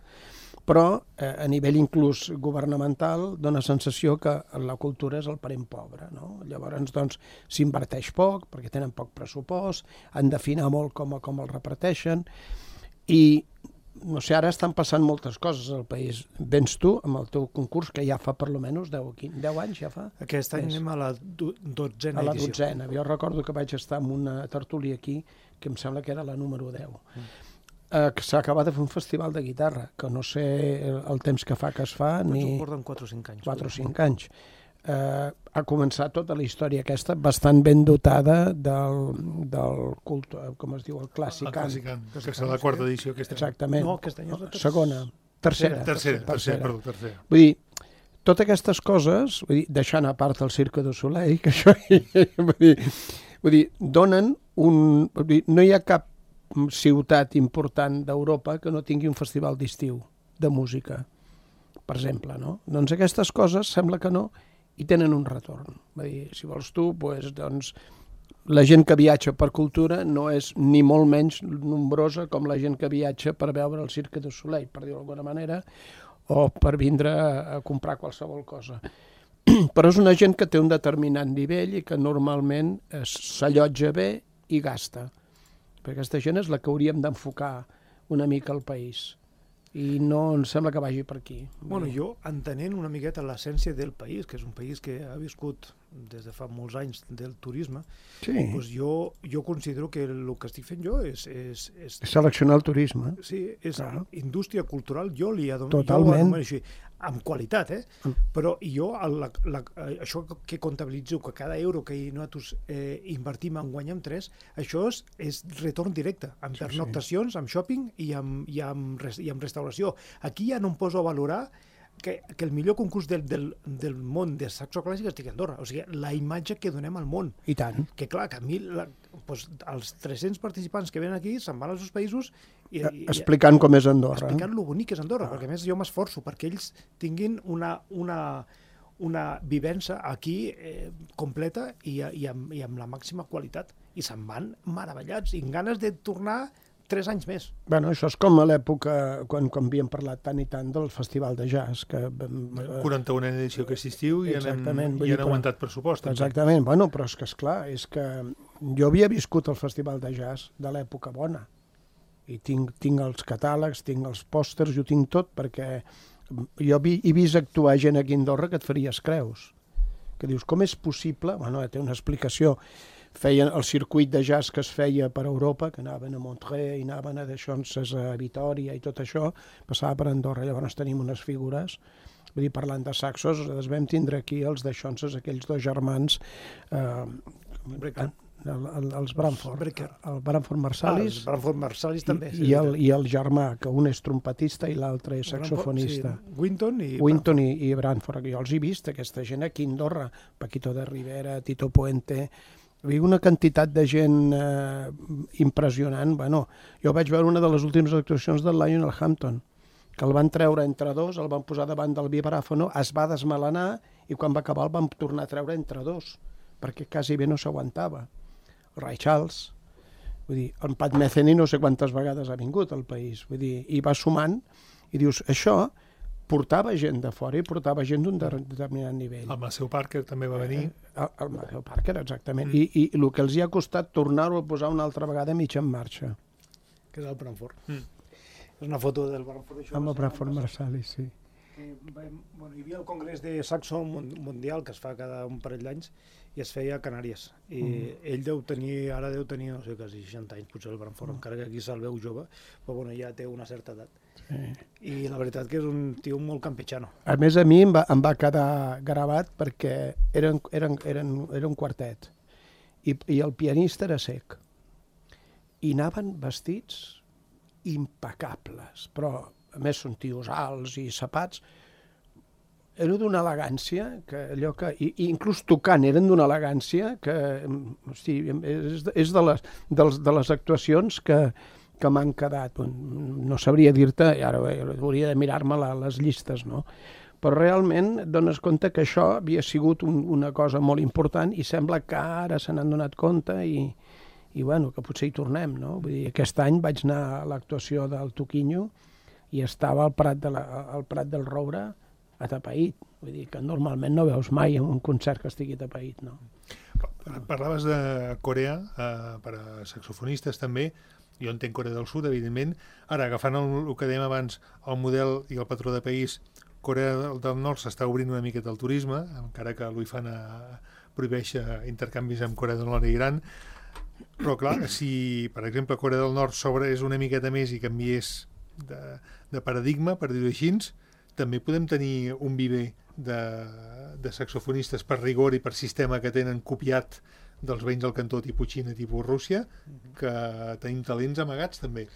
Però eh, a nivell inclús governamental dona sensació que la cultura és el parent pobre, no? Llavors, doncs, s'inverteix poc perquè tenen poc pressupost, han d'afinar molt com, com el reparteixen i, no sé, ara estan passant moltes coses al país. Vens tu amb el teu concurs, que ja fa per lo menys deu anys, ja fa? Aquest any anem a la dotzena edició. A la dotzena. Jo recordo que vaig estar en una tertúlia aquí, que em sembla que era la número deu. Mm. Eh, que s'ha acabat de fer un festival de guitarra, que no sé el, el temps que fa que es fa, doncs ni... ho porten quatre o cinc anys. quatre o cinc anys. Eh, ha començat tota la història aquesta bastant ben dotada del, del culte, com es diu, el clàssic. El clàssic, que serà la quarta edició aquest any. Exactament. No, aquest any és la tercera. Segona. Tercera. Tercera, tercera, perdó, tercera. Vull dir, totes aquestes coses, vull dir, deixant a part el Cirque du Soleil, que això, vull dir, vull dir, donen un... Vull dir, no hi ha cap ciutat important d'Europa que no tingui un festival d'estiu de música, per exemple, no? Doncs aquestes coses sembla que no i tenen un retorn. Vull dir, si vols tu, pues, doncs, la gent que viatja per cultura no és ni molt menys nombrosa com la gent que viatja per veure el Cirque du Soleil, per dir-ho d'alguna manera, o per vindre a comprar qualsevol cosa. Però és una gent que té un determinat nivell i que normalment s'allotja bé i gasta. perquè aquesta gent és la que hauríem d'enfocar una mica al país. I no em sembla que vagi per aquí. Bueno, jo, entenent una miqueta l'essència del país, que és un país que ha viscut des de fa molts anys del turisme, sí. doncs jo, jo considero que el que estic fent jo és... És, és, és seleccionar el turisme. Sí, és claro. Indústria cultural, jo li adono, totalment. Jo així, amb qualitat, eh? Mm. Però jo, la, la, això que comptabilitzo, que cada euro que nosaltres eh, invertim en guanyem tres, això és, és retorn directe, amb sí, pernoctacions, sí. amb shopping i amb, i, amb, i amb restauració. Aquí ja no em poso a valorar que, que el millor concurs del, del, del món de saxo clàssic estigui a Andorra. O sigui, la imatge que donem al món. I tant. Que clar, que a mi la, doncs, els tres-cents participants que venen aquí se'n van als seus països i, i, explicant com és Andorra. Explicant lo bonic que és Andorra, ah. perquè a més jo m'esforço perquè ells tinguin una, una, una vivència aquí eh, completa i, i, amb, i amb la màxima qualitat. I se'n van meravellats i amb ganes de tornar tres anys més. Bueno, això és com a l'època quan, quan havíem parlat tant i tant del Festival de Jazz. Que, quaranta-una edició que assistiu i han, i han aguantat pressupost. Exactament, bueno, però és que esclar, és que jo havia viscut el Festival de Jazz de l'època bona i tinc, tinc els catàlegs, tinc els pòsters, jo tinc tot, perquè jo vi, he vist actuar gent aquí a Andorra que et faries creus. Que dius, com és possible? Bueno, té una explicació. Feien el circuit de jazz que es feia per Europa, que anaven a Montreux i anaven a Deixonses a Vitòria i tot això, passava per Andorra. Llavors tenim unes figures, vull dir, parlant de saxos, els vam tindre aquí els Deixonses, aquells dos germans, eh, el, el, els Branford, el Branford Marsalis, ah, Branford Marsalis també, i, i, el, i el germà, que un és trompetista i l'altre és saxofonista. Sí, Winton i Winton i, i Branford. Jo els he vist, aquesta gent aquí a Andorra, Paquito de Rivera, Tito Puente... una quantitat de gent eh, impressionant. Bueno, jo vaig veure una de les últimes actuacions del Lionel Hampton, que el van treure entre dos, el van posar davant del vibràfono, es va desmelenar i quan va acabar el van tornar a treure entre dos, perquè quasi bé no s'aguantava. El Ray Charles, vull dir, el Pat Metheny no sé quantes vegades ha vingut al país, vull dir, i va sumant, i dius, això portava gent de fora i portava gent d'un determinat nivell. El Maceo Parker també va venir. El, el Maceo Parker, exactament. Mm. I, I el que els hi ha costat tornar-ho a posar una altra vegada mig en marxa. Que és el Branford. Mm. És una foto del Branford. Amb el Branford Marsalis, sí. Eh, bueno, hi havia el Congrés de Saxo Mundial, que es fa cada un parell d'anys, i es feia a Canàries. I mm. ell deu tenir, ara deu tenir, no sé, quasi seixanta anys, potser el Branford, mm. encara que aquí se'l veu jove, però bueno, ja té una certa edat. Sí. I la veritat que és un tio molt campechano. A més, a mi em va, em va quedar gravat perquè eren, eren, eren, era un quartet i, i el pianista era cec i anaven vestits impecables, però a més són tios alts i sapats, era d'una elegància que allò que, i, i inclús tocant eren d'una elegància que hosti, és, és de, les, de, les, de les actuacions que que m'han quedat, no sabria dir-te, i ara hauria de mirar-me les llistes, no? Però realment dones compte que això havia sigut un, una cosa molt important i sembla que ara se n'han donat compte i, i bueno, que potser hi tornem, no? Vull dir, aquest any vaig anar a l'actuació del Toquinho i estava al Prat, de la, al Prat del Roure atapeït, vull dir que normalment no veus mai en un concert que estigui atapeït, no? Parlaves de Corea, eh, per a saxofonistes també. Jo entenc Corea del Sud, evidentment. Ara, agafant el, el que dèiem abans, el model i el patró de país, Corea del Nord s'està obrint una miqueta al turisme, encara que l'U I F A N prohibeix intercanvis amb Corea del Nord i Iran. Però, clar, si, per exemple, Corea del Nord s'obreix una miqueta més i canviés de, de paradigma, per dir-ho així, també podem tenir un viver de, de saxofonistes per rigor i per sistema que tenen copiat dels veïns del cantó tipus Xina, tipus Rússia, que tenim talents amagats també.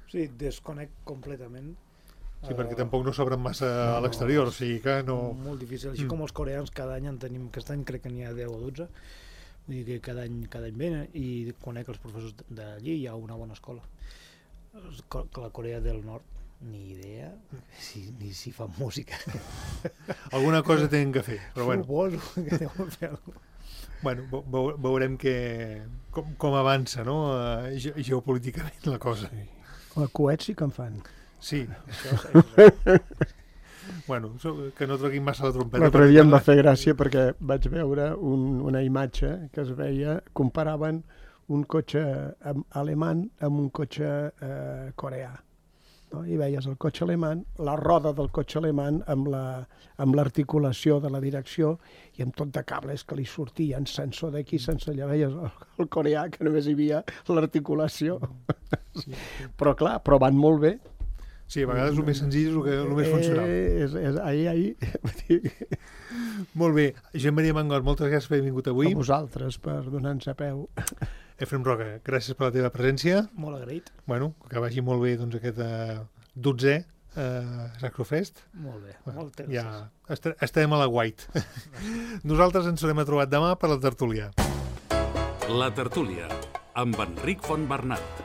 Sí, desconec completament. Sí, uh, perquè tampoc no s'obren massa no, a l'exterior, o sigui que no... Molt difícil, així mm. com els coreans cada any en tenim, aquest any crec que n'hi ha deu o dotze, vull dir que cada any, cada any venen i conec els professors d'allí, hi ha una bona escola. La Corea del Nord, ni idea si, ni si fan música. Alguna cosa tenen que fer, però bueno. Suposo que deuen fer alguna cosa. Bueno, veurem que, com, com avança, no? Ge geopolíticament la cosa. Sí. El coet sí que en fan. Sí. Això és... bueno, que no troquin massa la trompeta. L'altre dia em va fer gràcia perquè vaig veure un, una imatge que es veia, comparaven un cotxe alemany amb un cotxe eh, coreà. No? I veies el cotxe alemany, la roda del cotxe alemany amb la, amb l'articulació de la direcció i amb tot de cables que li sortien, sensor d'aquí, sensor allà. Veies el, el coreà, que només hi havia l'articulació. Sí, sí. Però clar, però van molt bé. Sí, a vegades el més senzill és el, que, el més funcional. Eh, és, és, ahí, ahí. Molt bé. Joan Maria Mangot, moltes gràcies per haver vingut avui. A vosaltres, per donar-nos a peu. Efrem Roca, gràcies per la teva presència. Molt agraït. Bueno, que vagi molt bé doncs, aquest uh, dotzè uh, Sacrofest. Molt bé, bueno, moltes ja gràcies. est estarem a la guait. Nosaltres ens haurem trobat demà per la tertúlia. La tertúlia, amb Enric Fontbernat.